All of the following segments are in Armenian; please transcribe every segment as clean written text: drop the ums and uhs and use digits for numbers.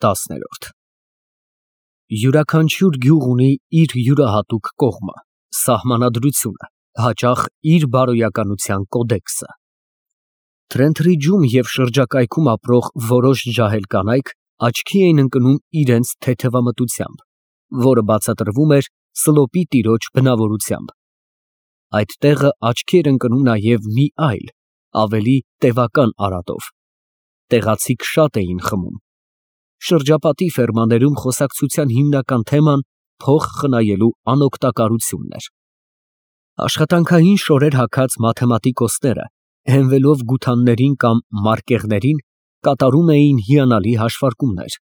10 Յուրաքանչյուր գյուղ ունի իր յուրահատուկ կողմը, սահմանադրությունը, հաճախ իր բարոյականության կոդեքսը։ Թրենթրիջում և շրջակայքում ապրող որոշ ջահել կանայք աչքի էին ընկնում իրենց թեթևամտությամբ, որը բացատրվում էր Սլոպի տիրոջ բնավորությամբ։ Այդ տեղը աչքի էր ընկնում նաև մի այլ, ավելի տևական արատով։ Տեղացիք շատ էին խմում։ Շրջապատի ֆերմաներում խոսակցության հիմնական թեման փող խնայելու անօգտակարությունն էր։ Աշխատանքային շորեր հագած մաթեմատիկոսները, հենվելով գութաններին կամ մարկեղներին, կատարում էին հիանալի հաշվարկումներ,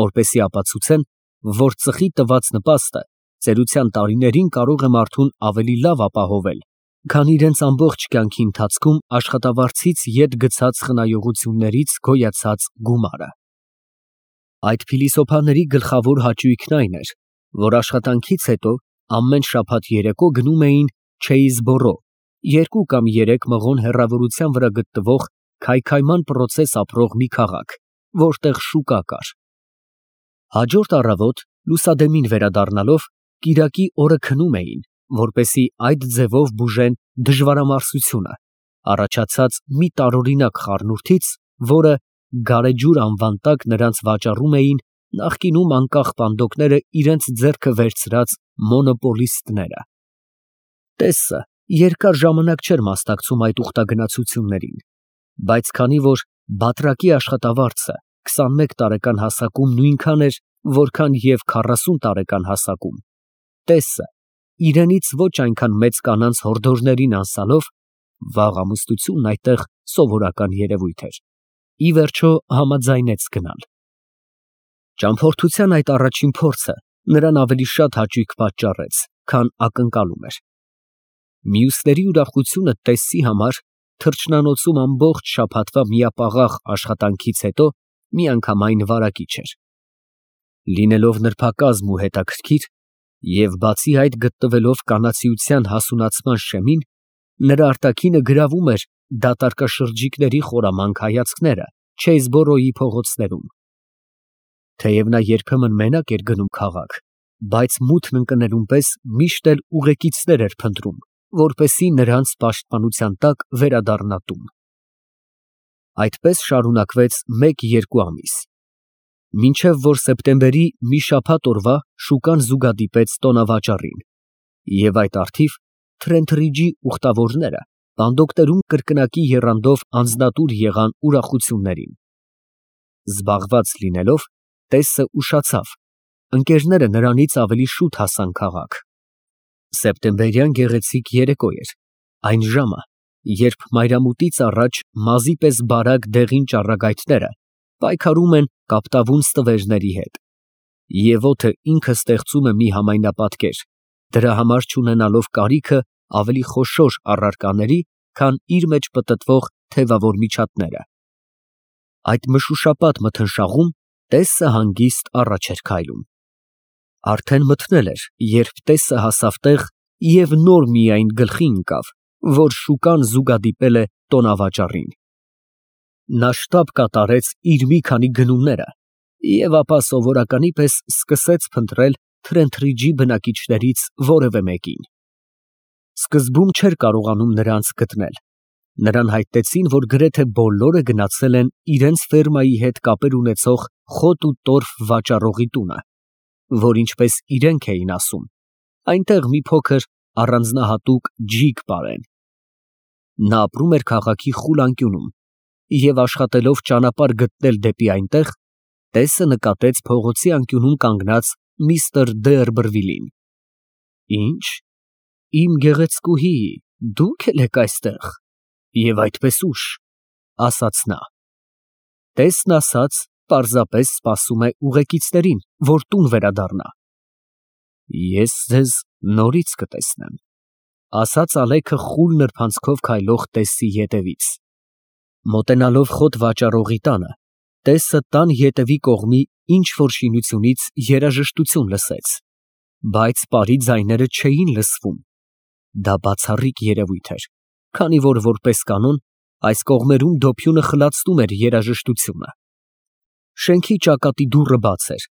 որպեսզի ապացուցեն, որ ծխի տված նպաստը ծերության տարիներին կարող է մարդուն ավելի լավ ապահովել, քան իրենց ամբողջ կյանքի ընթացքում աշխատավարձից ետ գցած խնայողություններից գոյացած գումարը։ Այդ փիլիսոփաների գլխավոր հաճույքն այն էր, որ աշխատանքից հետո ամեն շաբաթ երեկո գնում էին Չեյզբորո, 2 կամ 3 մղոն հեռավորության վրա գտնվող քայքայման պրոցես ապրող մի քաղաք, որտեղ շուկա կար։ Հաջորդ առավոտ լուսադեմին վերադառնալով կիրակի օրը քնում էին, որպեսզի այդ ձևով բուժեն դժվարամարսությունը, առաջացած մի տարօրինակ խառնուրդից, որը գարեջուր անվան տակ նրանց վաճառում էին նախկինում անկախ պանդոկները իրենց ձեռքը վերցրած մոնոպոլիստները։ Տեսը երկար ժամանակ չէր մասնակցում այդ ուխտագնացություններին, բայց քանի որ բատրակի աշխատավարձը 21 տարեկան հասակում նույնքան էր, որքան և 40 տարեկան հասակում, տեսը իրենից ոչ այնքան մեծ կանանց հորդորներին անսալով, վաղ ամուսնությունն այդտեղ սովորական երևույթ էր, ի վերջո համաձայնեց գնալ։ Ճամփորդության այդ առաջին փորձը նրան ավելի շատ հաճույք պատճառեց, քան ակնկալում էր։ Մյուսների ուրախությունը տեսի համար թռչնանոցում ամբողջ շաբաթվա միապաղաղ աշխատանքից հետո միանգամայն վարակիչ էր։ Լինելով նրբակազմ ու հետաքրքիր, և բացի այդ գտնվելով կանացիության հասունացման շեմին, նրա արտաքինը գրավում էր դատարկաշրջիկների խորամանկ հայացքները Չեյզբորոյի փողոցներում։ Թեև նա երբեմն մենակ էր գնում քաղաք, բայց մութն ընկնելուն պես միշտ էլ ուղեկիցներ էր փնտրում, որպեսզի նրանց պաշտպանության տակ վերադառնա տուն։ Այդպես շարունակվեց 1-2 ամիս, մինչև որ սեպտեմբերի մի շաբաթ օրվա շուկան զուգադիպեց տոնավաճառին, և այդ առթիվ Թրենթրիջի ուխտավորները պանդոկներում կրկնակի եռանդով անձնատուր եղան ուրախություններին։ Զբաղված լինելով, տեսը ուշացավ, ընկերները նրանից ավելի շուտ հասան քաղաք։ Սեպտեմբերյան գեղեցիկ երեկո էր, այն ժամը, երբ մայրամուտից առաջ մազի պես բարակ դեղին ճառագայթները պայքարում են կապտավուն ստվերների հետ, և օդը ինքը ստեղծում է մի համայնապատկեր, դրա համար չունենալով կարիքը ավելի խոշոր առարկաների, քան իր մեջ պտտվող թևավոր միջատները։ Այդ մշուշապատ մթնշաղում տեսը հանգիստ առաջ էր քայլում։ Արդեն մթնել էր, երբ տեսը հասավ տեղ և նոր միայն գլխի ընկավ, որ շուկան զուգադիպել է տոնավաճառին։ Նա շտապ կատարեց իր մի քանի գնումները և ապա սովորականի պես սկսեց փնտրել Թրենթրիջի բնակիչներից որևէ մեկին։ Սկզբում չէր կարողանում նրանց գտնել։ Նրան հայտնեցին, որ գրեթե բոլորը գնացել են իրենց ֆերմայի հետ կապեր ունեցող խոտ ու տորֆ վաճառողի տունը, որ ինչպես իրենք էին ասում, այնտեղ մի փոքր առանձնահատուկ ջիգ պարեն։ Նա ապրում էր քաղաքի խուլ անկյունում և աշխատելով ճանապարհ գտնել դեպի այնտեղ, տեսը նկատեց փողոցի անկյունում կանգնած միստր Դերբրվիլին։ Ի՞նչ, իմ գեղեցկուհի, դուք էլ եք այստեղ, և այդպես ուշ, ասաց նա։ Տեսն ասաց պարզապես սպասում է ուղեկիցներին, որ տուն վերադառնա։ Ես ձեզ նորից կտեսնեմ, ասաց Ալեքը խուլ նրբանցքով քայլող տեսի ետևից։ Մոտենալով խոտ վաճառողի տանը, տեսը տան ետևի կողմի ինչ֊որ շինությունից երաժշտություն լսեց, բայց պարի ձայները չէին լսվում։ Դա բացառիկ երևույթ էր, քանի որ որպես կանոն այս կողմերում դոփյունը խլացնում էր երաժշտությունը։ Շենքի ճակատի դուռը բաց էր,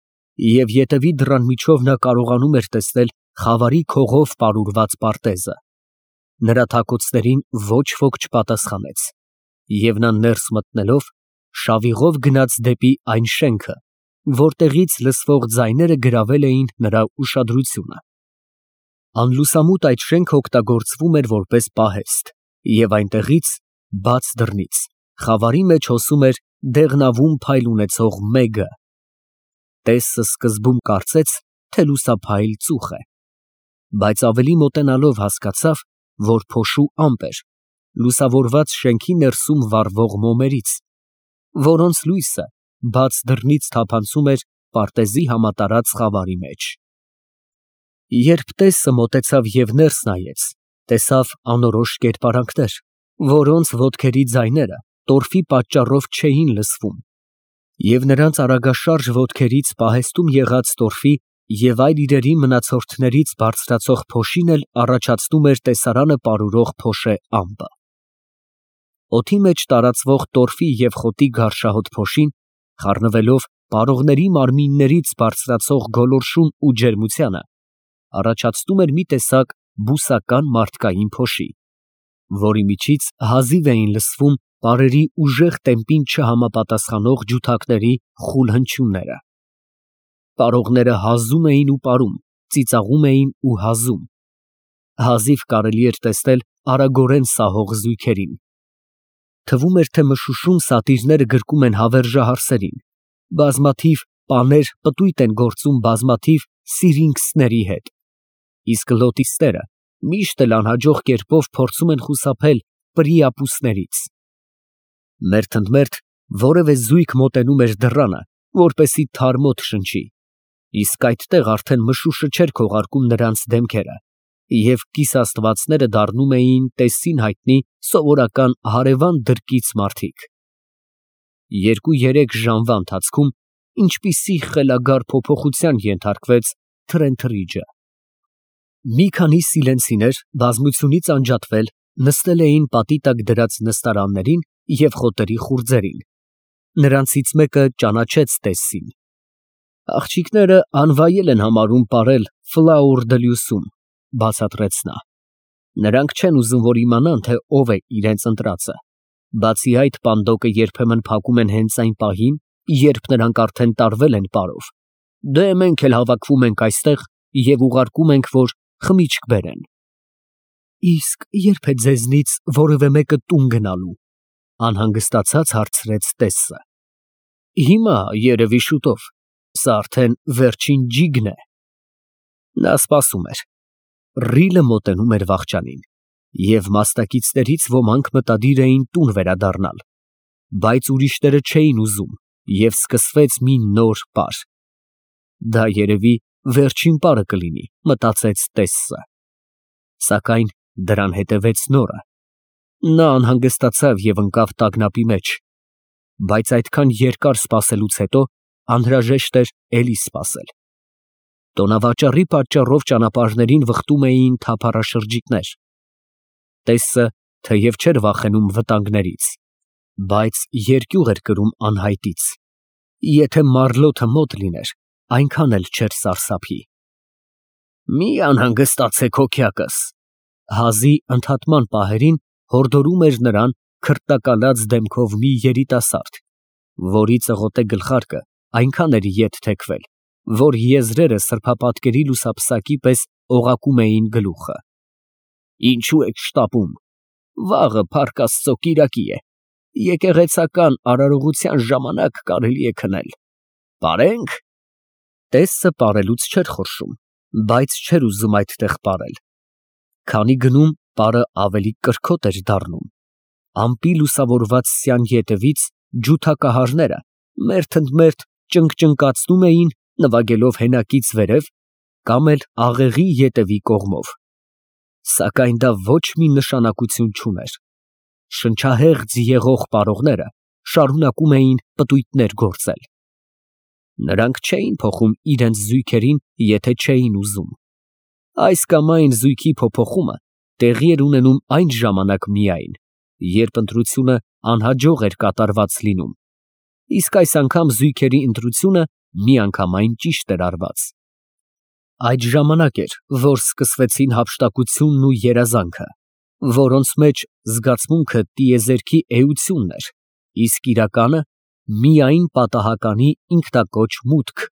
և ետևի դռան միջով նա կարողանում էր տեսնել խավարի քողով պարուրված պարտեզը։ Նրա թակոցներին ոչ ոք չպատասխանեց, և նա ներս մտնելով շավիղով գնաց դեպի այն շենքը, որտեղից լսվող ձայները գրավել էին նրա ուշադրությունը։ Անլուսամուտ այդ շենքն օգտագործվում էր որպես պահեստ, և այնտեղից, բաց դռնից, խավարի մեջ հոսում էր դեղնավուն փայլ ունեցող մեգը։ Տեսը սկզբում կարծեց, թե լուսափայլ ծուխ է, բայց ավելի մոտենալով հասկացավ, որ փոշու ամպ էր, լուսավորված շենքի ներսում վառվող մոմերից, որոնց լույսը բաց դռնից թափանցում էր պարտեզի համատարած խավարի մեջ։ Երբ տեսը մոտեցավ և ներս նայեց, տեսավ անորոշ կերպարանքներ, որոնց ոտքերի ձայները տորֆի պատճառով չէին լսվում, և նրանց արագաշարժ ոտքերից պահեստում եղած տորֆի և այլ իրերի մնացորդներից բարձրացող փոշին էլ առաջացնում էր տեսարանը պարուրող փոշե ամպը։ Օդի մեջ տարածվող տորֆի և խոտի գարշահոտ փոշին, խառնվելով պարողների մարմիններից բարձրացող գոլորշուն ու ջերմությանը, առաջացնում էր մի տեսակ բուսական մարդկային փոշի, որի միջից հազիվ էին լսվում պարերի ուժեղ տեմպին չհամապատասխանող ջութակների խուլ հնչյունները։ Պարողները հազում էին ու պարում, ծիծաղում էին ու հազում։ Հազիվ կարելի էր տեսնել արագորեն սահող զույգերին։ Թվում էր, թե մշուշում սատիրները գրկում են հավերժահարսերին, բազմաթիվ պաներ պտույտ են գործում բազմաթիվ սիրինքսների հետ, իսկ լոտիստերը միշտ էլ անհաջող կերպով փորձում են խուսափել պրիապուսներից։ Մերթընդմերթ որևէ զույգ մոտենում էր դռանը, որպեսզի թարմոտ շնչի, իսկ այդտեղ արդեն մշուշը չէր քողարկում նրանց դեմքերը, և կիսաստվածները դառնում էին տեսին հայտնի սովորական հարևան դրկից մարդիկ։ 2-3 ժամվա ընթացքում ինչպիսի խելագար փոփոխության ենթարկվեց Թրենթրիջը։ Մի քանի սիլենցիներ բազմությունից անջատվել նստել էին պատի տակ դրած նստարաններին և խոտերի խուրձերին։ Նրանցից մեկը ճանաչեց Տեսսին։ Աղջիկները անվայել են համարում պարել Ֆլաուր դը Լյուսում, բացատրեց նա։ Նրանք չեն ուզում, որ իմանան, թե ով է իրենց ընտրածը։ Բացի այդ, պանդոկը երբեմն փակում են հենց այն պահին, երբ նրանք արդեն տարվել են պարով։ Դե մենք էլ հավաքվում ենք այստեղ և ուղարկում ենք, որ խմիչք բերեն։ Իսկ ե՞րբ է ձեզնից որևէ մեկը տուն գնալու, անհանգստացած հարցրեց Տեսսը։ Հիմա, երևի շուտով, սա արդեն վերջին ջիգն է։ Նա սպասում էր։ Ռիլը մոտենում էր վախճանին, և մասնակիցներից ոմանք մտադիր էին տուն վերադառնալ, բայց ուրիշները չէին ուզում, և սկսվեց մի նոր պար։ Դա երևի վերջին պարը կլինի, մտածեց Տեսսը։ Սակայն դրան հետևեց նորը։ Նա անհանգստացավ և ընկավ տագնապի մեջ, բայց այդքան երկար սպասելուց հետո անհրաժեշտ էր էլի սպասել։ Տոնավաճառի պատճառով ճանապարհներին վխտում էին թափառաշրջիկներ։ Տեսսը թեև չէր վախենում վտանգներից, բայց երկյուղ էր կրում անհայտից։ Եթե մառլոթը մոտ լիներ, այնքան էլ չէր սարսափի։ Մի անհանգստացեք հոգյակս, հազի ընդհատման պահերին հորդորում էր նրան քրտակալած դեմքով մի երիտասարդ, որի ծղոտե գլխարկը այնքան էր ետ թեքվել, որ եզրերը սրբապատկերի լուսապսակի պես օղակում էին գլուխը։ Ինչու եք շտապում, վաղը Փառք Աստծո կիրակի է, եկեղեցական արարողության ժամանակ կարելի է քնել։ Պարենք։ Տեսսը պարելուց չէր խորշում, բայց չէր ուզում այդտեղ պարել։ Քանի գնում պարը ավելի կրքոտ էր դառնում։ Ամպի լուսավորված սյան ետևից ջութակահարները մերթընդմերթ ճնկճնկացնում էին, նվագելով հենակից վերև կամ էլ աղեղի ետևի կողմով։ Սակայն դա ոչ մի նշանակություն չուներ։ Շնչահեղձ եղող պարողները շարունակում էին պտույտներ գործել։ Նրանք չէին փոխում իրենց զույգերին, եթե չէին ուզում։ Այս կամ այն զույգի փոփոխումը տեղի էր ունենում այն ժամանակ միայն, երբ ընտրությունը անհաջող էր կատարված լինում, Իսկ այս անգամ զույգերի ընտրությունը միանգամայն ճիշտ էր արված։ Այդ ժամանակ էր, որ սկսվեցին հափշտակությունն ու երազանքը, որոնց մեջ զգացմունքը տիեզերքի էությունն էր, իսկ իրականը միայն պատահականի ինքնակոչ մուտք,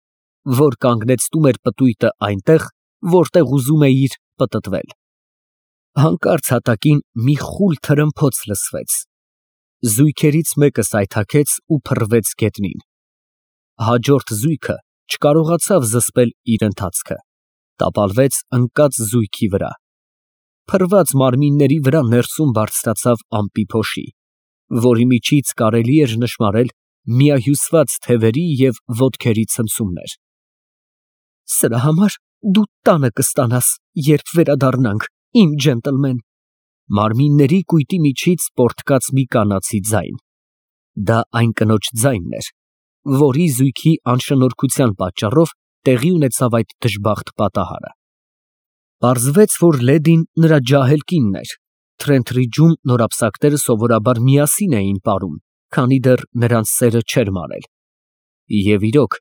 որ կանգնեցնում էր պտույտը այնտեղ, որտեղ ուզում էր պտտվել։ Հանկարծ հատակին մի խուլ թրմփոց լսվեց։ Զույգերից մեկը սայթաքեց ու փռվեց գետնին։ Հաջորդ զույգը չկարողացավ զսպել իր ընթացքը, տապալվեց ընկած զույգի վրա։ Փռված մարմինների վրա ներսում բարձրացավ ամպի փոշի, որի միջից կարելի էր նշմարել միահյուսված թևերի և ոտքերի ցնցումներ։ Սրա համար դու տանը կստանաս, երբ վերադառնանք, իմ ջենտլմեն։ Մարմինների կույտի միջից պոռթկաց մի կանացի ձայն։ Դա այն կնոջ ձայնն էր, որի զույգի անշնորհքության պատճառով տեղի ունեցավ այդ դժբախտ պատահարը։ Պարզվեց, որ լեդին նրա ջահել կինն էր։ Թրենթրիջում նորապսակները սովորաբար միասին էին ապրում, քանի դեռ նրանց սերը չէր մարել։ Եվ իրոք,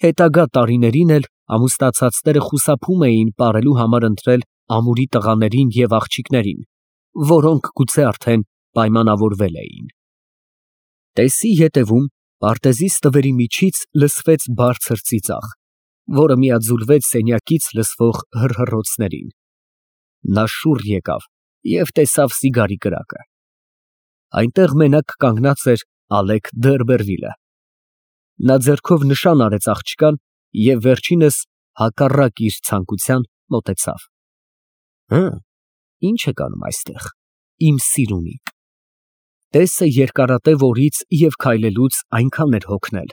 հետագա տարիներին էլ ամուսնացածները խուսափում էին ապրելու համար ընտրել ամուրի տղաներին և աղջիկներին, որոնք գուցե արդեն պայմանավորվել էին։ Տեսի ետևում պարտեզի ստվերի միջից լսվեց բարձր ծիծաղ, որը միաձուլվեց սենյակից լսվող հռհռոցներին։ Նա շուռ եկավ և տեսավ սիգարի կրակը։ Այնտեղ մենակ կանգնած էր Ալեկ Դերբերվիլը։ Նա ձեռքով նշան արեց աղջկան և վերջինս, հակառակ իր ցանկության, մոտեցավ։ Ի՞նչ եք անում այստեղ, իմ սիրունիկ։ Տեսը երկարատև օրից և քայլելուց այնքան էր հոգնել,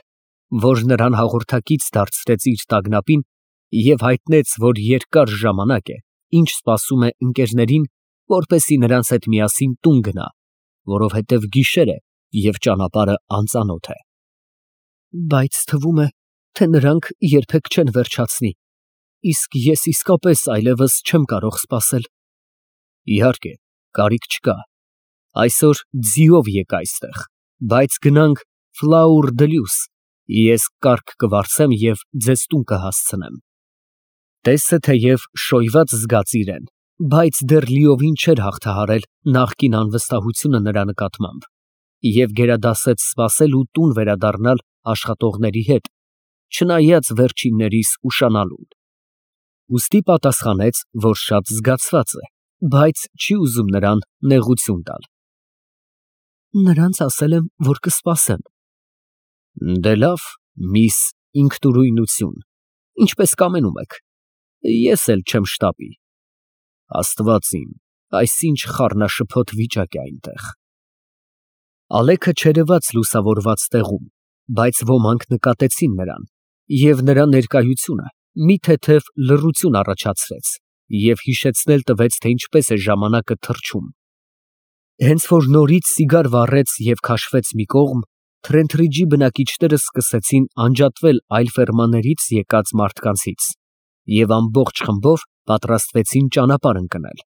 որ նրան հաղորդակից դարձրեց իր տագնապին և հայտնեց, որ երկար ժամանակ է, ինչ սպասում է ընկերներին, որպեսզի նրանց հետ միասին տուն գնա, որովհետև գիշեր է և ճանապարհը անծանոթ է։ Բայց թվում է, թե նրանք երբեք չեն վերջացնի, իսկ ես իսկապես այլևս չեմ կարող սպասել։ Իհարկե, կարիք չկա։ Այսօր ձիով եկ այստեղ, բայց գնանք Ֆլաուր դը Լյուս, ես կառք կվարձեմ և ձեզ տուն կհասցնեմ։ Տեսը թեև շոյված զգաց իրեն, բայց դեռ լիովին չէր հաղթահարել նախկին անվստահությունը նրա նկատմամբ և գերադասեց սպասել ու տուն վերադառնալ աշխատողների հետ, չնայած վերջիններիս ուշանալուն։ Ուստի պատասխանեց, որ շատ զգացված է, բայց չի ուզում նրան նեղություն տալ։ Նրանց ասել եմ, որ կսպասեմ։ Դե լավ, միս ինքնուրույնություն, ինչպես կամենում եք, ես էլ չեմ շտապի։ Աստված իմ, այսինչ խառնաշփոթ վիճակ է այնտեղ։ Ալեքը չերևաց լուսավորված տեղում, բայց ոմանք նկատեցին նրան, և նրա ներկայությունը մի թեթև լռություն առաջացրեց և հիշեցնել տվեց, թե ինչպես է ժամանակը թռչում։ Հենց որ նորից սիգար վառեց և քաշվեց մի կողմ, Թրենթրիջի բնակիչները սկսեցին անջատվել այլ ֆերմաներից եկած մարդկանցից և ամբողջ խմբով պատրաստվեցին ճանապարհ ընկնել։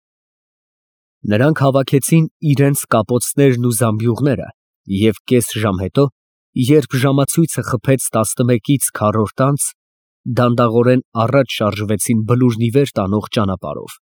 Նրանք հավաքեցին իրենց կապոցներն ու զամբյուղները և կես ժամ հետո, երբ ժամացույցը խփեց 11-ից քառորդ անց, դանդաղորեն առաջ շարժվեցին բլուրն ի վեր տանող ճանապարհով։